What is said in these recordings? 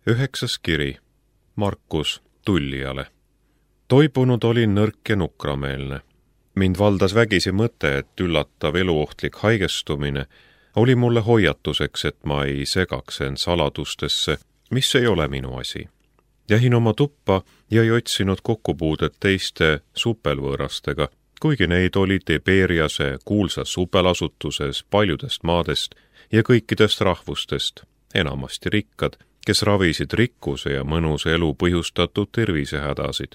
9. kiri Markus Tullijale. Toibunud olin nõrk ja nukrameelne. Mind valdas vägisi mõte, et üllatav eluohtlik haigestumine oli mulle hoiatuseks, et ma ei segaks end saladustesse, mis ei ole minu asi. Jähin oma tuppa ja ei otsinud kokkupuudet teiste supelvõõrastega, kuigi neid oli Tiberiase kuulsas supelasutuses paljudest maadest ja kõikidest rahvustest, enamasti rikkad, kes ravisid rikkuse ja mõnusa elu põhjustatud tervisehädasid.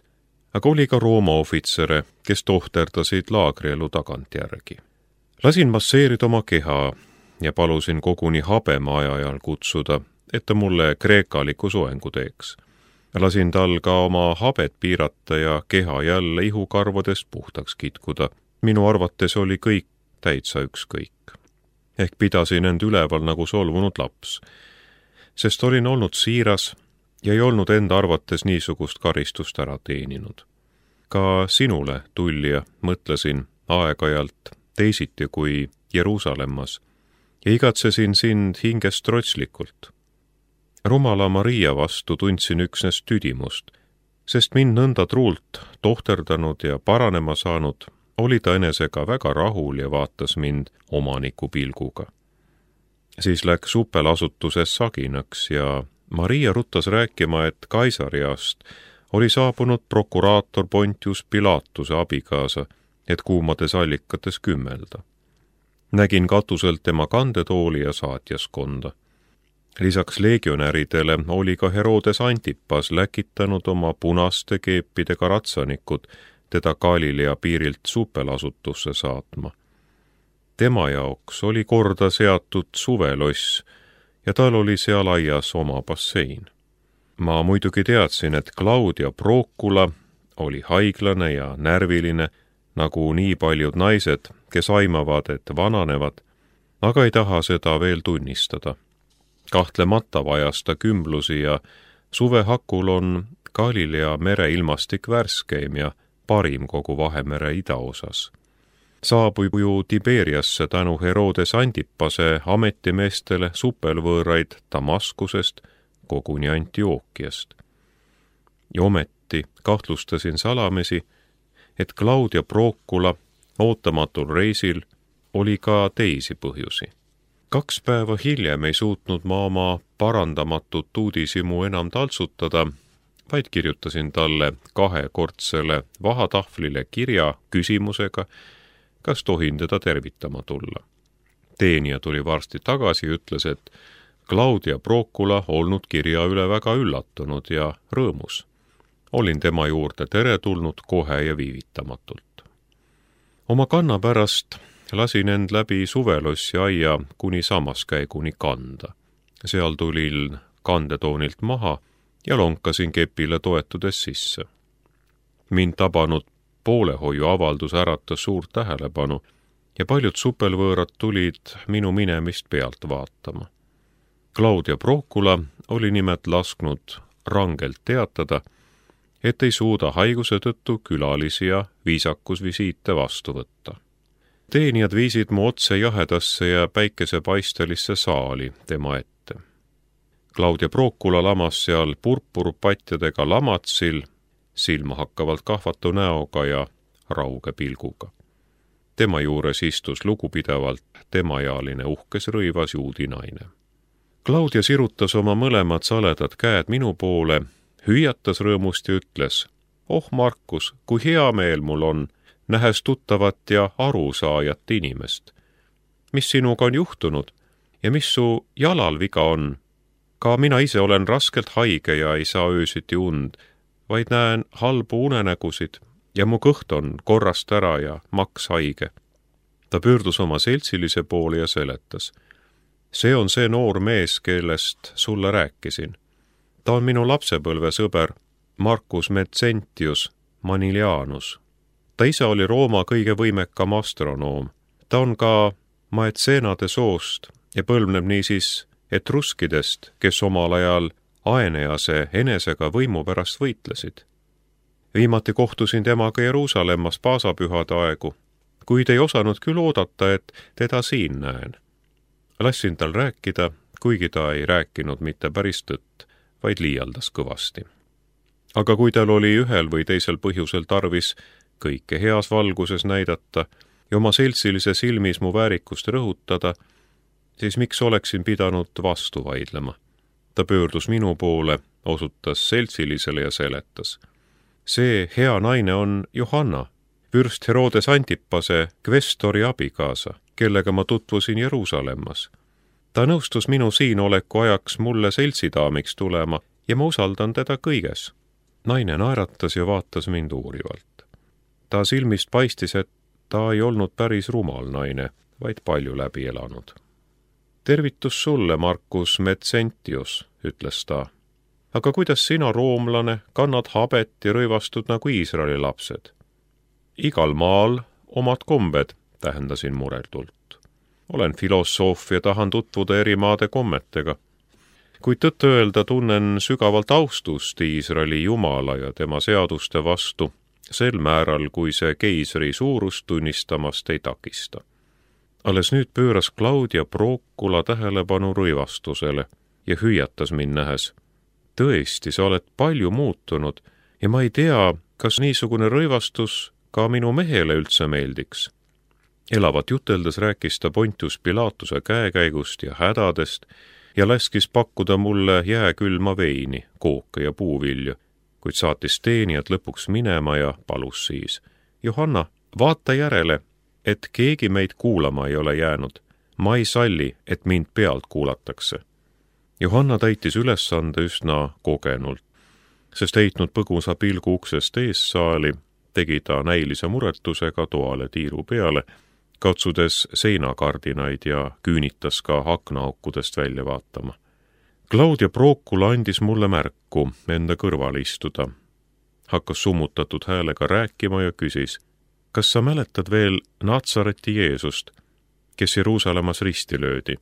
Aga oli ka Rooma ohvitsere, kes tohterdasid laagrielu tagantjärgi. Lasin masseerida oma keha ja palusin koguni habema ajajal kutsuda, et ta mulle kreekaliku soengu teeks. Lasin tal ka oma habet piirata ja keha jälle ihukarvadest puhtaks kitkuda. Minu arvates oli kõik täitsa ükskõik. Ehk pidasin end üleval nagu solvunud laps, sest olin olnud siiras ja ei olnud enda arvates niisugust karistust ära teeninud. Ka sinule, tullija, mõtlesin aeg-ajalt teisiti kui Jeruusalemmas ja igatsesin sind hingest trotslikult. Rumala Maria vastu tundsin üksnes tüdimust, sest mind nõnda truult tohterdanud ja paranema saanud, oli ta enesega väga rahul ja vaatas mind omaniku pilguga. Siis läks supelasutuses saginaks ja Maria ruttas rääkima, et Kaisariast oli saabunud prokuraator Pontius Pilatuse abikaasa, et kuumades allikates kümmelda. Nägin katuselt tema kandetooli ja saatjaskonda. Lisaks legionäridele oli ka Herodes Antipas läkitanud oma punaste keepidega ratsanikud teda Galilea piirilt supelasutusse saatma. Tema jaoks oli korda seatud suveloss ja tal oli seal aias oma bassein. Ma muidugi teadsin, et Claudia Procula oli haiglane ja närviline, nagu nii paljud naised, kes aimavad, et vananevad, aga ei taha seda veel tunnistada. Kahtlemata vajas ta kümblusi ja suvehakul on Galilea mere ilmastik värskeim ja parim kogu Vahemere idaosas. Saabub ju Tiberiasse tänu Herodes Antipase ametimeestele supelvõõraid Damaskusest, koguni Antiookiast. Ja ometi kahtlustasin salamisi, et Claudia Procula ootamatul reisil oli ka teisi põhjusi. 2 päeva hiljem ei suutnud ma oma parandamatut uudishimu enam taltsutada, vaid kirjutasin talle 2-kordsele vahatahvlile kirja küsimusega, kas tohin teda tervitama tulla. Teenija tuli varsti tagasi ja ütles, et Claudia Procula olnud kirja üle väga üllatunud ja rõõmus. Olin tema juurde teretulnud kohe ja viivitamatult. Oma kanna pärast lasin end läbi suvelossi aia kuni sammaskäiguni kanda. Seal tulin kandetoonilt maha ja lonkasin kepile toetudes sisse. Mind tabanud poolehoiu avaldus äratas suurt tähelepanu ja paljud supelvõõrad tulid minu minemist pealt vaatama. Claudia Procula oli nimelt lasknud rangelt teatada, et ei suuda haiguse tõttu külalisi ja viisakusvisiite vastu võtta. Teenijad viisid mu otse jahedasse ja päikesepaistelisse saali tema ette. Claudia Procula lamas seal purpurpatjadega lamatsil, silmahakkavalt kahvatu näoga ja rauge pilguga. Tema juures istus lugupidavalt temaealine uhkes rõivas juudi naine. Claudia sirutas oma mõlemad saledad käed minu poole, hüüatas rõõmust ja ütles, "Oh Markus, kui hea meel mul on, nähes tuttavat ja arusaajat inimest. Mis sinuga on juhtunud ja mis su jalal viga on? Ka mina ise olen raskelt haige ja ei saa öösiti und, vaid näen halbu unenägusid ja mu kõht on korrast ära ja maks haige." Ta pöördus oma seltsilise poole ja seletas. "See on see noor mees, kellest sulle rääkisin. Ta on minu lapsepõlvesõber Marcus Mezentius Manilianus. Ta ise oli Rooma kõige võimekam astronoom. Ta on ka Maetseenade soost ja põlvneb niisiis etruskidest, kes omal ajal Aenease enesega võimu pärast võitlesid. Viimati kohtusin temaga Jeruusalemmas paasapühade aegu, kuid ei osanud küll oodata, et teda siin näen. Lassin tal rääkida, kuigi ta ei rääkinud mitte päris tõtt, vaid liialdas kõvasti. Aga kui tal oli ühel või teisel põhjusel tarvis kõike heas valguses näidata ja oma seltsilise silmis mu väärikust rõhutada, siis miks oleksin pidanud vastu vaidlema? Ta pöördus minu poole, osutas seltsilisele ja seletas. See hea naine on Johanna, vürst Herodes Antipase kvestori abikaasa, kellega ma tutvusin Jeruusalemmas. Ta nõustus minu siinoleku ajaks mulle seltsidaamiks tulema ja ma usaldan teda kõiges. Naine naeratas ja vaatas mind uurivalt. Ta silmist paistis, et ta ei olnud päris rumal naine, vaid palju läbi elanud. Tervitus sulle, Marcus Metsentius, ütles ta. Aga kuidas sina, roomlane, kannad habet ja rõivastud nagu Iisraeli lapsed? Igal maal omad kombed, tähendasin mureldult. Olen filosoof ja tahan tutvuda eri maade kommetega. Kuid tõtt öelda tunnen sügavalt austust Iisraeli Jumala ja tema seaduste vastu, sel määral, kui see keisri suurust tunnistamast ei takista. Alles nüüd pööras Claudia Procula tähelepanu rõivastusele ja hüüatas mind nähes. Tõesti, sa oled palju muutunud ja ma ei tea, kas niisugune rõivastus ka minu mehele üldse meeldiks. Elavat juteldes rääkis ta Pontius Pilatuse käekäigust ja hädadest ja laskis pakkuda mulle jääkülma veini, kooke ja puuvilju, kuid saatis teenijad lõpuks minema ja palus siis. Johanna, vaata järele, et keegi meid kuulama ei ole jäänud. Ma ei salli, et mind pealt kuulatakse. Johanna täitis ülesande üsna kogenult, sest heitnud põgusa pilgu uksest eessaali, tegi ta näilise muretusega toale tiiru peale, katsudes seinakardinaid ja küünitas ka aknaaukudest välja vaatama. Claudia Procula andis mulle märku enda kõrval istuda. Hakkas summutatud häälega rääkima ja küsis, kas sa mäletad veel Natsareti Jeesust, kes Jeruusalemmas risti löödi?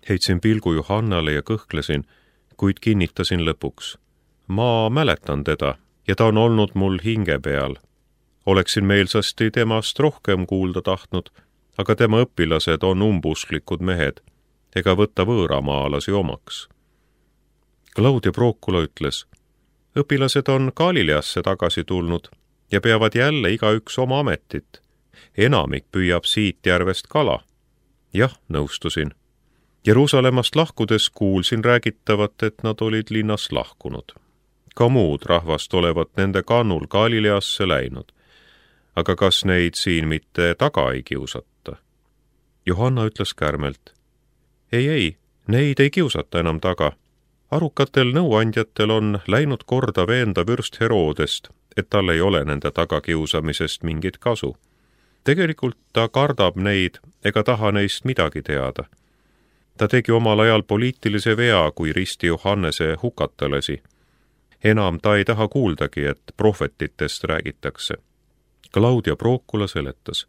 Heitsin pilgu Johannale ja kõhklesin, kuid kinnitasin lõpuks. Ma mäletan teda ja ta on olnud mul hinge peal. Oleksin meelsasti temast rohkem kuulda tahtnud, aga tema õpilased on umbusklikud mehed, ega võtta võõramaalasi omaks. Claudia Procula ütles, õpilased on Galileasse tagasi tulnud ja peavad jälle igaüks oma ametit. Enamik püüab siit järvest kala. Jah, nõustusin. Jeruusalemmast lahkudes kuulsin räägitavat, et nad olid linnast lahkunud. Ka muud rahvast olevat nende kannul Galileasse läinud. Aga kas neid siin mitte taga ei kiusata? Johanna ütles kärmelt. Ei, neid ei kiusata enam taga. Arukatel nõuandjatel on läinud korda veenda vürst Herodest, et tal ei ole nende tagakiusamisest mingit kasu. Tegelikult ta kardab neid ega taha neist midagi teada. Ta tegi omal ajal poliitilise vea, kui risti Johannese hukata lasi. Enam ta ei taha kuuldagi, et prohvetitest räägitakse. Claudia Procula seletas.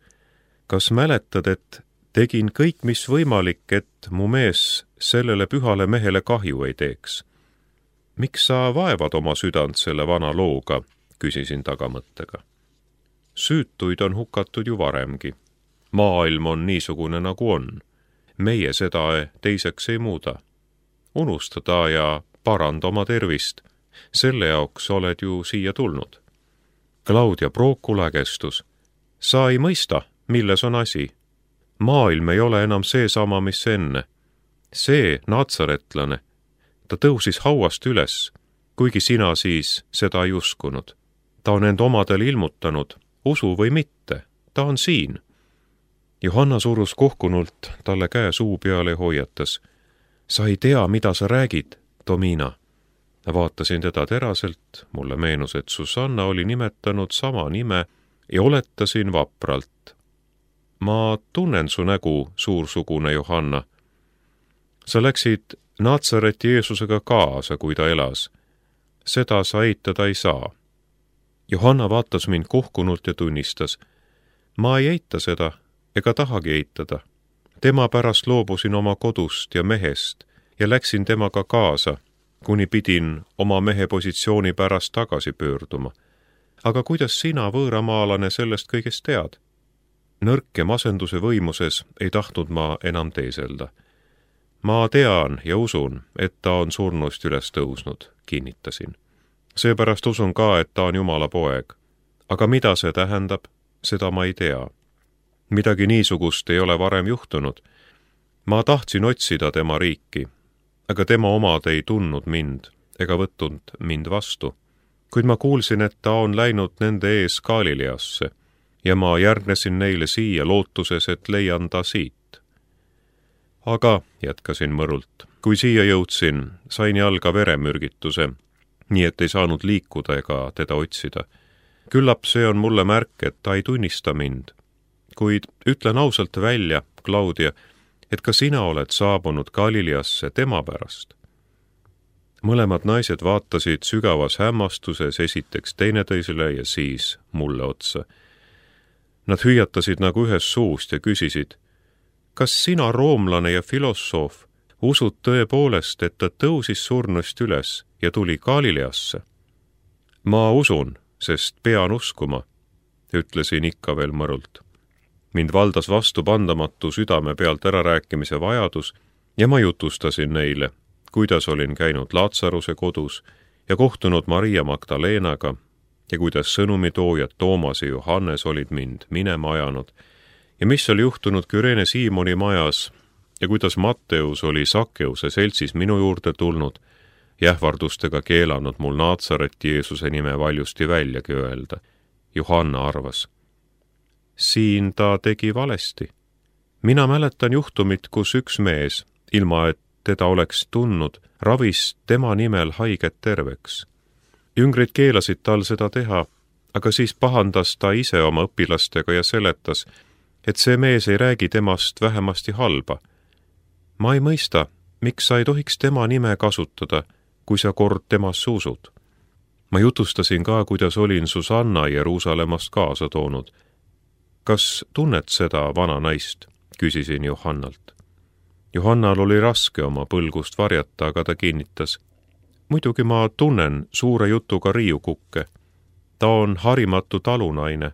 Kas mäletad, et tegin kõik, mis võimalik, et mu mees sellele pühale mehele kahju ei teeks? Miks sa vaevad oma südant selle vana looga, küsisin tagamõttega. Süütuid on hukatud ju varemgi. Maailm on niisugune nagu on. Meie seda teiseks ei muuda. Unusta ta ja paranda oma tervist. Selle jaoks oled ju siia tulnud. Claudia Procula kästus. Sa ei mõista, milles on asi. Maailm ei ole enam seesama, mis enne. See natsaretlane, ta tõusis hauast üles, kuigi sina siis seda ei uskunud. Ta on end omadel ilmutanud, usu või mitte, ta on siin. Johanna surus kohkunult talle käe suu peale ja hoiatas. Sa ei tea, mida sa räägid, Domina. Vaatasin teda teraselt, mulle meenus, et Susanna oli nimetanud sama nime ja oletasin vapralt. Ma tunnen su nägu, suursugune Johanna. Sa läksid Natsareti Jeesusega kaasa, kui ta elas. Seda sa eitada ei saa. Johanna vaatas mind kohkunult ja tunnistas. Ma ei eita seda, ega tahagi eitada. Tema pärast loobusin oma kodust ja mehest ja läksin temaga kaasa, kuni pidin oma mehe positsiooni pärast tagasi pöörduma. Aga kuidas sina, võõramaalane, sellest kõigest tead? Nõrk ja masenduse võimuses ei tahtnud ma enam teeselda. Ma tean ja usun, et ta on surnust üles tõusnud, kinnitasin. Seepärast usun ka, et ta on Jumala poeg. Aga mida see tähendab, seda ma ei tea. Midagi niisugust ei ole varem juhtunud. Ma tahtsin otsida tema riiki, aga tema omad ei tundnud mind ega võtnud mind vastu. Kuid ma kuulsin, et ta on läinud nende ees Galileasse ja ma järgnesin neile siia lootuses, et leian ta siit. Aga, jätkasin mõrult, kui siia jõudsin, sain jalga veremürgituse, nii et ei saanud liikuda ega teda otsida. Küllap see on mulle märk, et ta ei tunnista mind. Kuid ütlen ausalt välja, Claudia, et ka sina oled saabunud Galileasse tema pärast. Mõlemad naised vaatasid sügavas hämmastuses esiteks teineteisele ja siis mulle otsa. Nad hüüatasid nagu ühest suust ja küsisid, kas sina, roomlane ja filosoof, usud tõepoolest, et ta tõusis surnust üles ja tuli Galileasse? Ma usun, sest pean uskuma, ütlesin ikka veel mõrult. Mind valdas vastupandamatu südame pealt ärarääkimise vajadus ja ma jutustasin neile, kuidas olin käinud Laatsaruse kodus ja kohtunud Maria Magdalenaga ja kuidas sõnumitoojad Toomas ja Johannes olid mind minema ajanud ja mis oli juhtunud Küreene Siimoni majas ja kuidas Matteus oli Sakkeuse seltsis minu juurde tulnud ja ähvardustega keelanud mul Naatsareti Jeesuse nime valjusti väljagi öelda. Johanna arvas, siin ta tegi valesti. Mina mäletan juhtumit, kus üks mees, ilma et teda oleks tundnud, ravis tema nimel haiget terveks. Jüngrid keelasid tal seda teha, aga siis pahandas ta ise oma õpilastega ja seletas, et see mees ei räägi temast vähemasti halba. Ma ei mõista, miks sa ei tohiks tema nime kasutada, kui sa kord temasse usud. Ma jutustasin ka, kuidas olin Susanna Jeruusalemmast kaasa toonud. Kas tunned seda vana naist? Küsisin Johannalt. Johannal oli raske oma põlgust varjata, aga ta kinnitas. Muidugi ma tunnen suure jutuga riiukukke. Ta on harimatu talunaine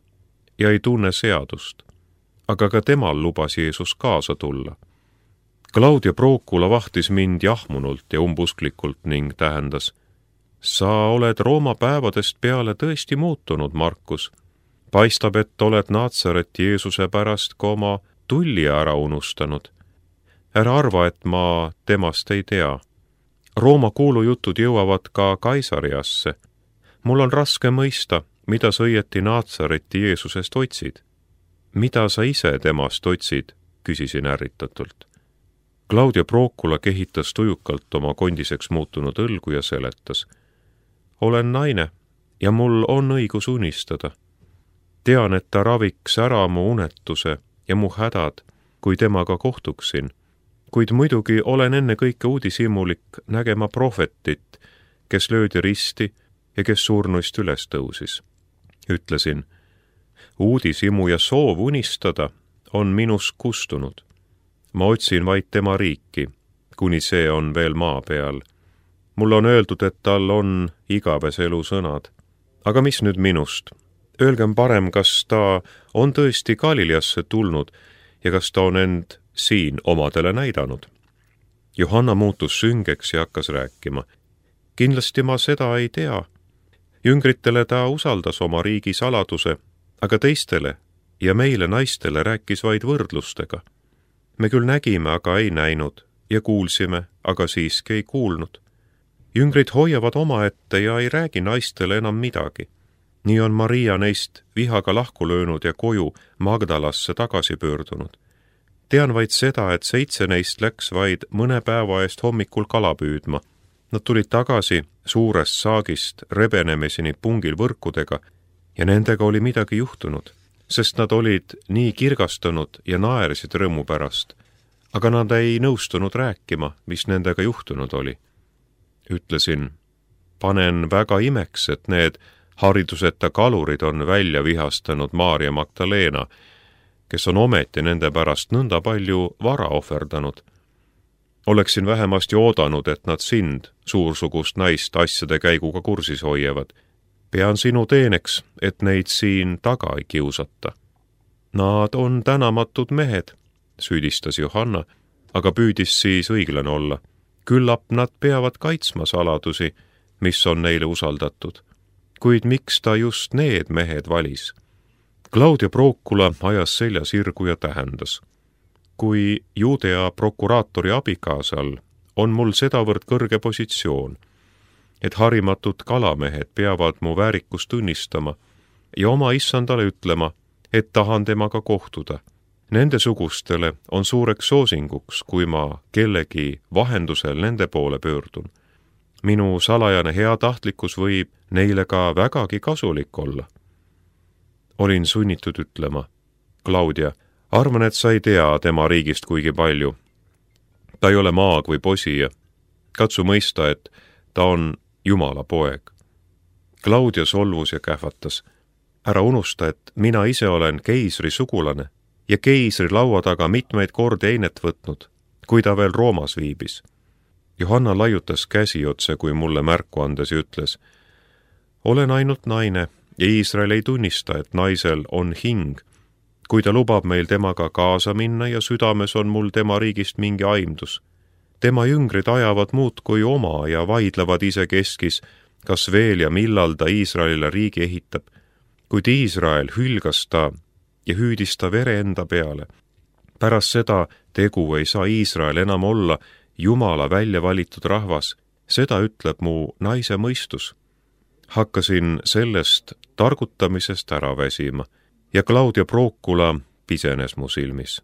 ja ei tunne seadust. Aga ka temal lubas Jeesus kaasa tulla. Claudia Procula vahtis mind jahmunult ja umbusklikult ning tähendas. Sa oled Rooma päevadest peale tõesti muutunud, Markus. Paistab, et oled Naatsareti Jeesuse pärast ka oma tulli ära unustanud. Ära arva, et ma temast ei tea. Rooma kuulujutud jõuavad ka Kaisariasse. Mul on raske mõista, mida sa õieti Naatsareti Jeesusest otsid. Mida sa ise temast otsid, küsisin ärritatult. Claudia Procula kehitas tujukalt oma kondiseks muutunud õlgu ja seletas. Olen naine ja mul on õigus unistada. Tean, et ta raviks ära mu unetuse ja mu hädad, kui temaga kohtuksin, kuid muidugi olen enne kõike uudishimulik nägema prohvetit, kes löödi risti ja kes surnuist üles tõusis. Ütlesin, uudishimu ja soov unistada on minus kustunud. Ma otsin vaid tema riiki, kuni see on veel maa peal. Mul on öeldud, et tal on igavese elu sõnad. Aga mis nüüd minust? Öelgem parem, kas ta on tõesti Galileasse tulnud ja kas ta on end siin omadele näidanud. Johanna muutus süngeks ja hakkas rääkima. Kindlasti ma seda ei tea. Jüngritele ta usaldas oma riigi saladuse, aga teistele ja meile naistele rääkis vaid võrdlustega. Me küll nägime, aga ei näinud ja kuulsime, aga siiski ei kuulnud. Jüngrid hoiavad omaette ja ei räägi naistele enam midagi. Nii on Maria neist vihaga lahku löönud ja koju Magdalasse tagasi pöördunud. Tean vaid seda, et 7 neist läks vaid mõne päeva eest hommikul kala püüdma. Nad tulid tagasi suurest saagist rebenemeseni pungil võrkudega ja nendega oli midagi juhtunud, sest nad olid nii kirgastunud ja naersid rõõmu pärast, aga nad ei nõustunud rääkima, mis nendega juhtunud oli. Ütlesin, panen väga imeks, et need hariduseta kalurid on välja vihastanud Maria Magdalena, kes on ometi nende pärast nõnda palju vara ohverdanud. Oleksin vähemasti oodanud, et nad sind, suursugust naist, asjade käiguga kursis hoiavad. Pean sinu teeneks, et neid siin taga ei kiusata. Nad on tänamatud mehed, süüdistas Johanna, aga püüdis siis õiglane olla. Küllap nad peavad kaitsma saladusi, mis on neile usaldatud. Kuid miks ta just need mehed valis? Claudia Procula ajas selja sirgu ja tähendas. Kui Judea prokuraatori abikaasal on mul sedavõrd kõrge positsioon, et harimatud kalamehed peavad mu väärikust tunnistama ja oma issandale ütlema, et tahan temaga kohtuda. Nende sugustele on suureks soosinguks, kui ma kellegi vahendusel nende poole pöördun. Minu salajane heatahtlikkus võib neile ka vägagi kasulik olla. Olin sunnitud ütlema, Claudia, arvan, et sa ei tea tema riigist kuigi palju. Ta ei ole maag või posija. Katsu mõista, et ta on Jumala poeg. Claudia solvus ja kähvatas. Ära unusta, et mina ise olen keisri sugulane ja keisri laua taga mitmeid kordi einet võtnud, kui ta veel Roomas viibis. Johanna laiutas käsi otse, kui mulle märku andes ja ütles, olen ainult naine ja Iisrael ei tunnista, et naisel on hing, kui ta lubab meil temaga kaasa minna ja südames on mul tema riigist mingi aimdus. Tema jüngrid ajavad muudkui oma ja vaidlevad isekeskis, kas veel ja millal ta Iisraelile riigi ehitab, kuid Iisrael hülgas ta ja hüüdis ta vere enda peale. Pärast seda tegu ei saa Iisrael enam olla Jumala välja valitud rahvas, seda ütleb mu naise mõistus. Hakkasin sellest targutamisest ära väsima ja Claudia Procula pisenes mu silmis.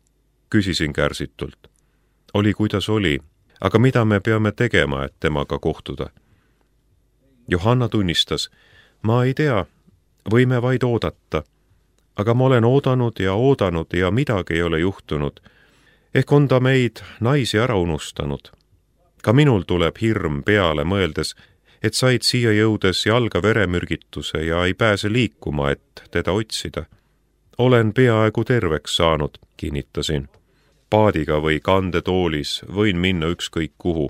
Küsisin kärsitult. Oli kuidas oli, aga mida me peame tegema, et temaga kohtuda? Johanna tunnistas, ma ei tea, võime vaid oodata, aga ma olen oodanud ja midagi ei ole juhtunud. Ehk on ta meid naisi ära unustanud. Ka minul tuleb hirm peale mõeldes, et said siia jõudes jalga veremürgituse ja ei pääse liikuma, et teda otsida. Olen peaaegu terveks saanud, kinnitasin. Paadiga või kandetoolis võin minna ükskõik kuhu.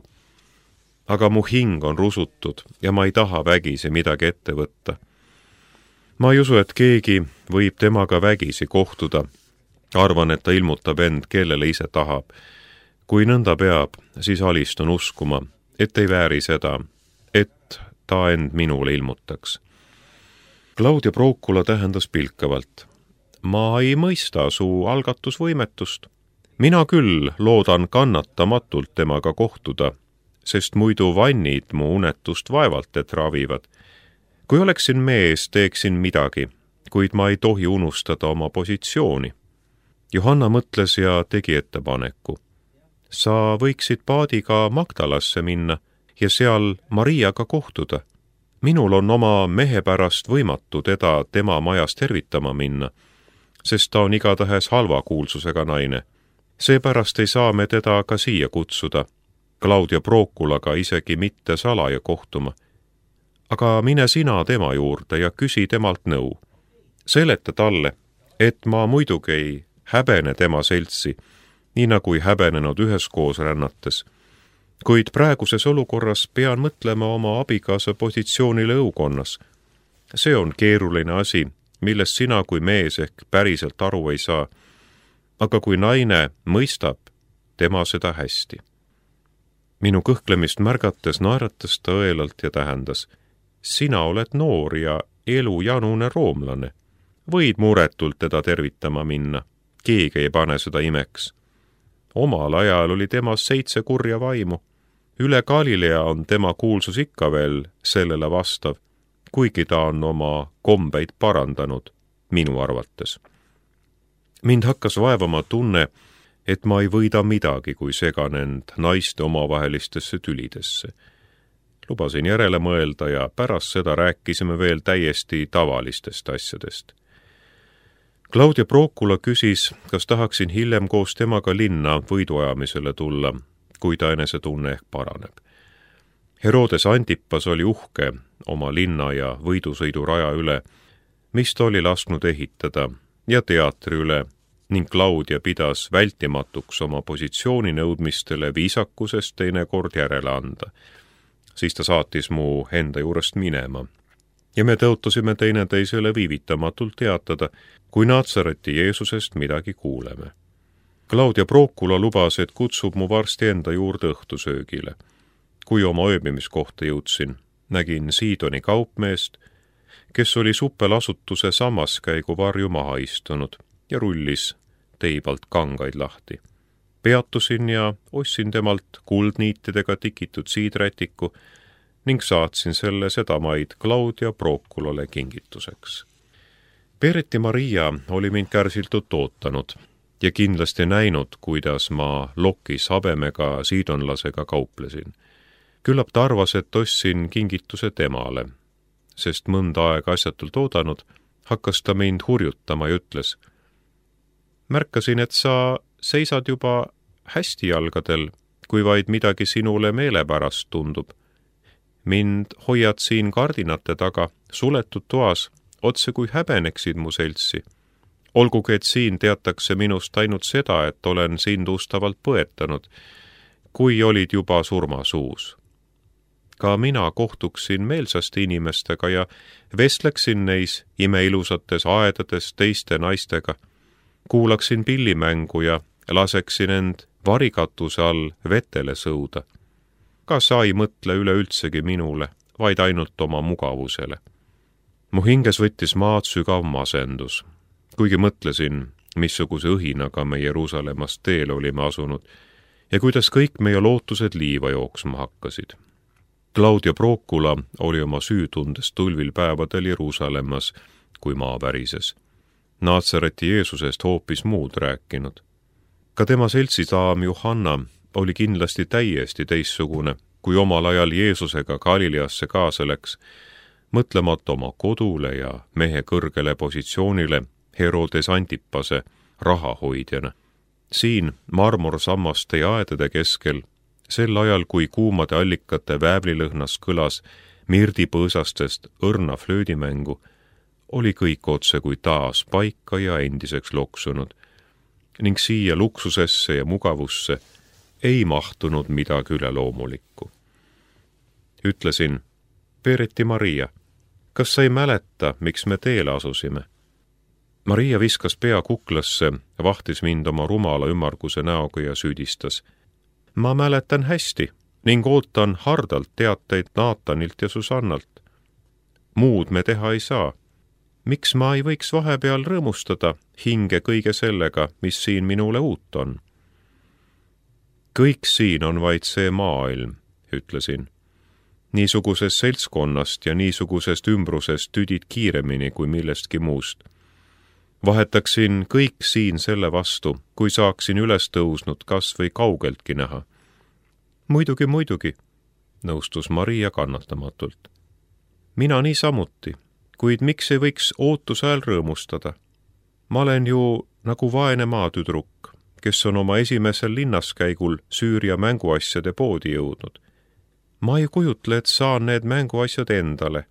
Aga mu hing on rusutud ja ma ei taha vägisi midagi ette võtta. Ma ei usu, et keegi võib temaga vägisi kohtuda. Arvan, et ta ilmutab end, kellele ise tahab. Kui nõnda peab, siis alistun uskuma, et ei vääri seda, et ta end minule ilmutaks. Claudia Procula tähendas pilkavalt. Ma ei mõista su algatusvõimetust. Mina küll loodan kannatamatult temaga kohtuda, sest muidu vannid mu unetust vaevalt, et ravivad. Kui oleksin mees, teeksin midagi, kuid ma ei tohi unustada oma positsiooni. Johanna mõtles ja tegi ettepaneku. Sa võiksid paadiga Magdalasse minna ja seal Mariaga kohtuda. Minul on oma mehe pärast võimatu teda tema majas tervitama minna, sest ta on igatahes halva kuulsusega naine. Seepärast ei saa me teda ka siia kutsuda, Claudia Proculaga isegi mitte salaja kohtuma. Aga mine sina tema juurde ja küsi temalt nõu. Seleta talle, et ma muidugi ei häbene tema seltsi, nii nagu ei häbenenud üheskoos rännates. Kuid praeguses olukorras pean mõtlema oma abikaasa positsioonile õukonnas. See on keeruline asi, millest sina kui mees ehk päriselt aru ei saa. Aga kui naine mõistab, tema seda hästi. Minu kõhklemist märgates naeratas ta õelalt ja tähendas. Sina oled noor ja elujanune roomlane. Võid muretult teda tervitama minna. Keegi ei pane seda imeks. Omal ajal oli temas 7 kurja vaimu. Üle Galilea on tema kuulsus ikka veel sellele vastav, kuigi ta on oma kombeid parandanud, minu arvates. Mind hakkas vaevama tunne, et ma ei võida midagi, kui segan end naiste omavahelistesse tülidesse. Lubasin järele mõelda ja pärast seda rääkisime veel täiesti tavalistest asjadest. Claudia Procula küsis, kas tahaksin hiljem koos temaga linna võiduajamisele tulla, kui ta enesetunne ehk paraneb. Herodes Antipas oli uhke oma linna ja võidusõiduraja üle, mis ta oli lasknud ehitada, ja teatri üle, ning Claudia pidas vältimatuks oma positsiooni nõudmistele viisakusest teinekord järele anda. Siis ta saatis mu enda juurest minema ja me tõotasime teineteisele viivitamatult teatada, kui Natsareti Jeesusest midagi kuuleme. Claudia Procula lubas, et kutsub mu varsti enda juurde õhtusöögile. Kui oma ööbimiskohta jõudsin, nägin Siidoni kaupmeest, kes oli suppelasutuse sammaskäigu varju maha istunud ja rullis teibalt kangaid lahti. Peatusin ja ostsin temalt kuldniitidega tikitud siidrätiku ning saatsin selle sedamaid Claudia Proculale kingituseks. Pereti Maria oli mind kärsiltult ootanud ja kindlasti näinud, kuidas ma lokis habemega siidonlasega kauplesin. Küllap ta arvas, et ostsin kingituse temale, sest mõnda aega asjatult oodanud, hakkas ta mind hurjutama ja ütles: märkasin, et sa seisad juba hästi jalgadel, kui vaid midagi sinule meelepärast tundub. Mind hoiad siin kardinate taga, suletud toas, otse kui häbeneksid mu seltsi. Olgugi, et siin teatakse minust ainult seda, et olen sind ustavalt põetanud, kui olid juba surmasuus. Ka mina kohtuksin meelsasti inimestega ja vestleksin neis imeilusates aedades teiste naistega. Kuulaksin pillimängu ja laseksin end varikatuse all vetele sõuda. Ka sa ei mõtle üleüldsegi minule, vaid ainult oma mugavusele. Mu hinges võttis maad sügav masendus, kuigi mõtlesin, missuguse õhinaga me Jeruusalemmast teele olime asunud ja kuidas kõik meie lootused liiva jooksma hakkasid. Claudia Procula oli oma süütundest tulvil päevadel Jeruusalemmas, kui maa värises. Naatsareti Jeesusest hoopis muud rääkinud. Ka tema seltsidaam Johanna oli kindlasti täiesti teissugune, kui omal ajal Jeesusega Galileasse kaasa läks, mõtlemata oma kodule ja mehe kõrgele positsioonile Herodes Antipase rahahoidjana. Siin marmorsammaste ja aedade keskel, sel ajal, kui kuumade allikate väävlilõhnas kõlas mirdipõõsastest õrna flöödimängu, oli kõik otse kui taas paika ja endiseks loksunud, ning siia luksusesse ja mugavusse ei mahtunud midagi üleloomulikku. Ütlesin: Pereti Maria, kas sa ei mäleta, miks me teele asusime? Maria viskas pea kuklasse, vahtis mind oma rumala ümmarguse näoga ja süüdistas: ma mäletan hästi ning ootan hardalt teateid Naatanilt ja Susannalt. Muud me teha ei saa. Miks ma ei võiks vahepeal rõõmustada hinge kõige sellega, mis siin minule uut on? Kõik siin on vaid see maailm, ütlesin. Niisugusest seltskonnast ja niisugusest ümbrusest tüdid kiiremini kui millestki muust. Vahetaksin kõik siin selle vastu, kui saaksin üles tõusnud kas või kaugeltki näha. Muidugi, nõustus Maria kannatamatult. Mina niisamuti, kuid miks ei võiks ootuse ajal rõõmustada? Ma olen ju nagu vaene maatüdruk, kes on oma esimesel linnaskäigul Süüria mänguasjade poodi jõudnud. Ma ei kujutle, et saan need mänguasjad endale.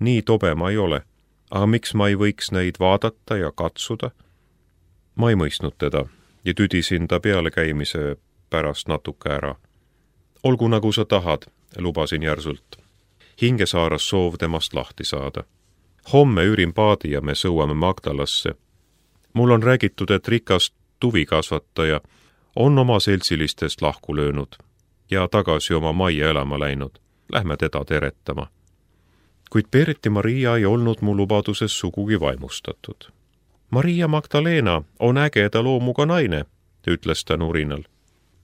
Nii tobe ma ei ole. Aga miks ma ei võiks neid vaadata ja katsuda? Ma ei mõistnud teda ja tüdisin ta pealekäimise pärast natuke ära. Olgu nagu sa tahad, lubasin järsult. Hinge saaras soov temast lahti saada. Homme üürin paadi ja me sõuame Magdalasse. Mul on räägitud, et rikas tuvikasvataja on oma seltsilistest lahku löönud ja tagasi oma majja elama läinud. Lähme teda teretama. Kuid Pereti Maria ei olnud mu lubaduses sugugi vaimustatud. Maria Magdalena on ägeda loomuga naine, ütles ta nurinal.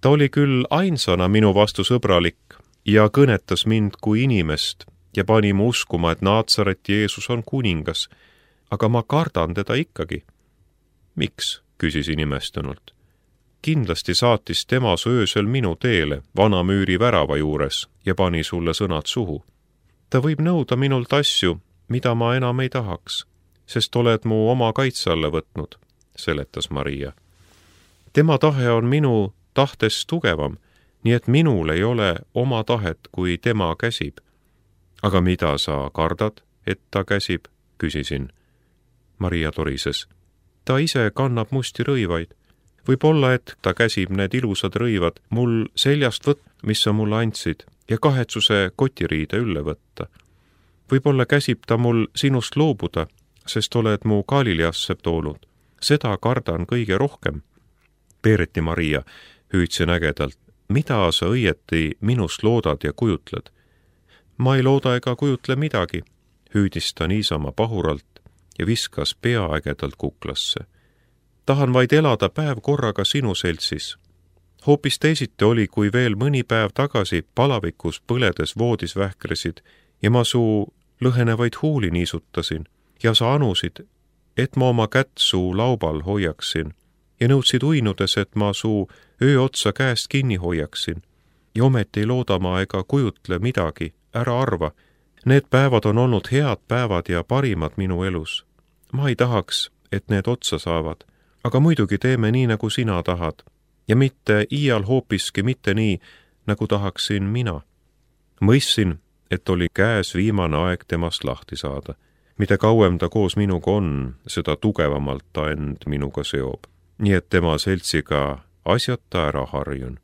Ta oli küll ainsana minu vastu sõbralik ja kõnetas mind kui inimest ja pani mu uskuma, et Naatsaret Jeesus on kuningas, aga ma kardan teda ikkagi. Miks, küsisin imestunult. Kindlasti saatis tema su öösel minu teele vana müüri värava juures ja pani sulle sõnad suhu. Ta võib nõuda minult asju, mida ma enam ei tahaks, sest oled mu oma kaitse alla võtnud, seletas Maria. Tema tahe on minu tahtest tugevam, nii et minul ei ole oma tahet, kui tema käsib. Aga mida sa kardad, et ta käsib, küsisin. Maria torises. Ta ise kannab musti rõivaid. Võib-olla, et ta käsib need ilusad rõivad mul seljast mis sa mulle andsid, ja kahetsuse kotiriide ülle võtta. Võib-olla käsib ta mul sinust loobuda, sest oled mu Galileasse toonud. Seda kardan kõige rohkem. Peereti Maria, hüüdsin ägedalt, mida sa õieti minust loodad ja kujutled? Ma ei looda ega kujutle midagi, hüüdis ta niisama pahuralt ja viskas pea ägedalt kuklasse. Tahan vaid elada päev korraga sinu seltsis. Hoopis teisiti oli, kui veel mõni päev tagasi palavikus põledes voodis vähkresid ja ma suu lõhenevaid huuli niisutasin ja sa anusid, et ma oma kätt suu laubal hoiaksin ja nõudsid uinudes, et ma suu öö otsa käest kinni hoiaksin. Ja ometi ei looda ma ega kujutle midagi, ära arva. Need päevad on olnud head päevad ja parimad minu elus. Ma ei tahaks, et need otsa saavad, aga muidugi teeme nii, nagu sina tahad. Ja mitte iial hoopiski mitte nii, nagu tahaksin mina. Mõistsin, et oli käes viimane aeg temast lahti saada. Mida kauem ta koos minuga on, seda tugevamalt ta end minuga seob. Nii et tema seltsiga asjata ära harjun.